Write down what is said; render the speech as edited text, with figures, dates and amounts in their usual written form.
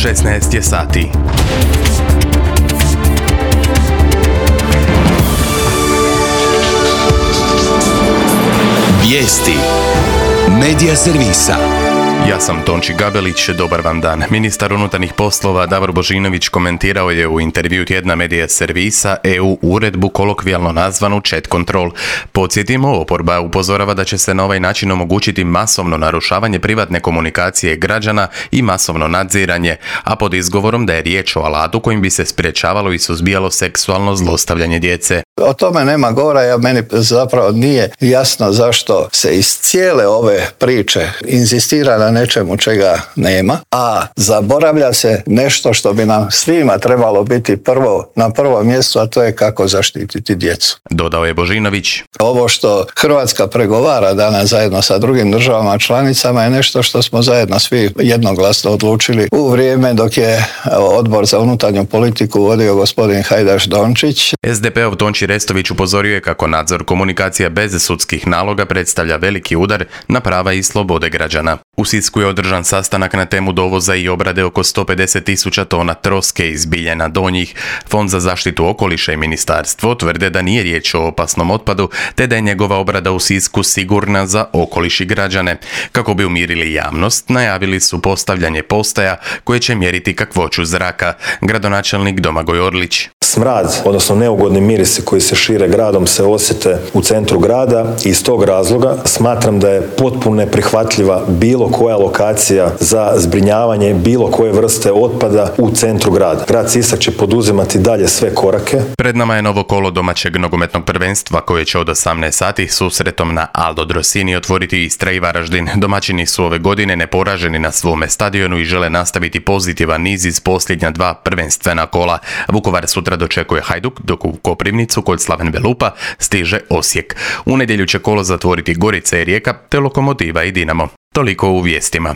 16 je sati. Vijesti Medija servisa. Ja sam Tonči Gabelić, dobar vam dan. Ministar unutarnjih poslova Davor Božinović komentirao je u intervju tjedna Medija servisa EU uredbu kolokvijalno nazvanu Chat Control. Podsjetimo, oporba upozorava da će se na ovaj način omogućiti masovno narušavanje privatne komunikacije građana i masovno nadziranje, a pod izgovorom da je riječ o alatu kojim bi se sprječavalo i suzbijalo seksualno zlostavljanje djece. O tome nema govora, meni zapravo nije jasno zašto se iz cijele ove priče inzistira na nečemu čega nema, a zaboravlja se nešto što bi nam svima trebalo biti na prvom mjestu, a to je kako zaštititi djecu. Dodao je Božinović. Ovo što Hrvatska pregovara danas zajedno sa drugim državama članicama je nešto što smo zajedno svi jednoglasno odlučili u vrijeme dok je Odbor za unutarnju politiku vodio gospodin Hajdaš Dončić. SDP-ov Tonči Restović upozorio je kako nadzor komunikacija bez sudskih naloga predstavlja veliki udar na prava i slobode građana. U Sisku je održan sastanak na temu dovoza i obrade oko 150.000 tona troske iz Biljana Donjih. Fond za zaštitu okoliša i ministarstvo tvrde da nije riječ o opasnom otpadu, te da je njegova obrada u Sisku sigurna za okoliš i građane. Kako bi umirili javnost, najavili su postavljanje postaja koje će mjeriti kakvoću zraka. Gradonačelnik Domagoj Orlić. Smrad, odnosno neugodni mirisi koji se šire gradom se osjete u centru grada i iz tog razloga smatram da je potpuno neprihvatljiva bilo koja lokacija za zbrinjavanje bilo koje vrste otpada u centru grada. Grad Sisak će poduzimati dalje sve korake. Pred nama je novo kolo domaćeg nogometnog prvenstva koje će od 18 sati susretom na Aldo Drosini otvoriti Istra i Varaždin. Domaćini su ove godine neporaženi na svome stadionu i žele nastaviti pozitivan niz iz posljednja dva prvenstvena kola. Vukovar sutra dočekuje Hajduk, dok u Koprivnicu kod Slaven Belupa stiže Osijek. U nedjelju će kolo zatvoriti Gorica i Rijeka, te Lokomotiva i Dinamo. Toliko u vijestima.